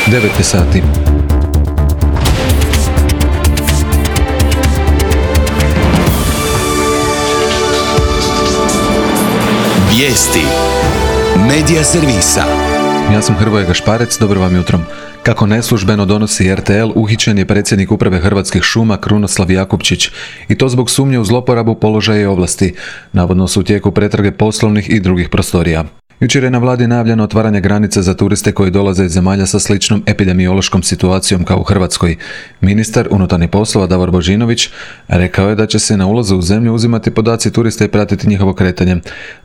9 je sati. Vijesti Medija servisa. Ja sam Hrvoje Gašparec, dobro vam jutro. Kako neslužbeno donosi RTL, uhićen je predsjednik uprave Hrvatskih šuma Krunoslav Jakupčić, i to zbog sumnje u zloporabu položaja i ovlasti. Navodno su u tijeku pretrage poslovnih i drugih prostorija. Jučer je na vladi najavljeno otvaranje granice za turiste koji dolaze iz zemalja sa sličnom epidemiološkom situacijom kao u Hrvatskoj. Ministar unutarnjih poslova Davor Božinović rekao je da će se na ulazu u zemlju uzimati podaci turista i pratiti njihovo kretanje.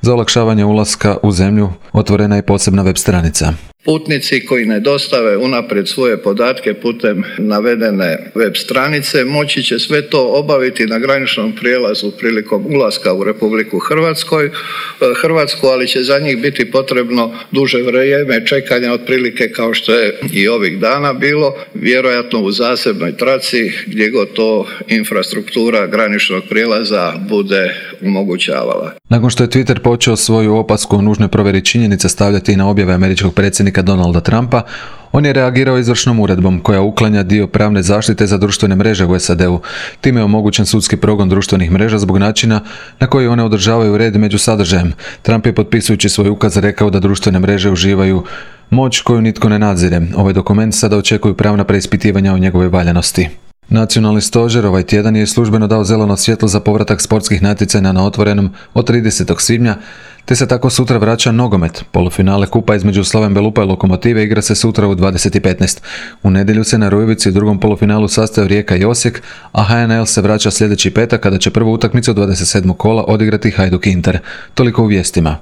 Za olakšavanje ulaska u zemlju otvorena je posebna web stranica. Putnici koji ne dostave unaprijed svoje podatke putem navedene web stranice moći će sve to obaviti na graničnom prijelazu prilikom ulaska u Republiku Hrvatsku, ali će za njih biti potrebno duže vrijeme čekanja, otprilike kao što je i ovih dana bilo, vjerojatno u zasebnoj traci gdje god to infrastruktura graničnog prijelaza bude omogućavala. Nakon što je Twitter počeo svoju opasku o nužnoj provjeri činjenica stavljati na objave američkog predsjednika Donalda Trumpa, on je reagirao izvršnom uredbom koja uklanja dio pravne zaštite za društvene mreže u SAD-u. Time je omogućen sudski progon društvenih mreža zbog načina na koji one održavaju red među sadržajem. Trump je potpisujući svoj ukaz rekao da društvene mreže uživaju moć koju nitko ne nadzire. Ovaj dokument sada očekuju pravna preispitivanja o njegovoj valjanosti. Nacionalni stožer ovaj tjedan je službeno dao zeleno svjetlo za povratak sportskih natjecanja na otvorenom od 30. svibnja, te se tako sutra vraća nogomet. Polufinale kupa između Slaven Belupa i Lokomotive igra se sutra u 20:15. U nedjelju se na Rujevici u drugom polufinalu sastaju Rijeka i Osijek, a HNL se vraća sljedeći petak kada će prvu utakmicu 27. kola odigrati Hajduk Inter. Toliko u vijestima.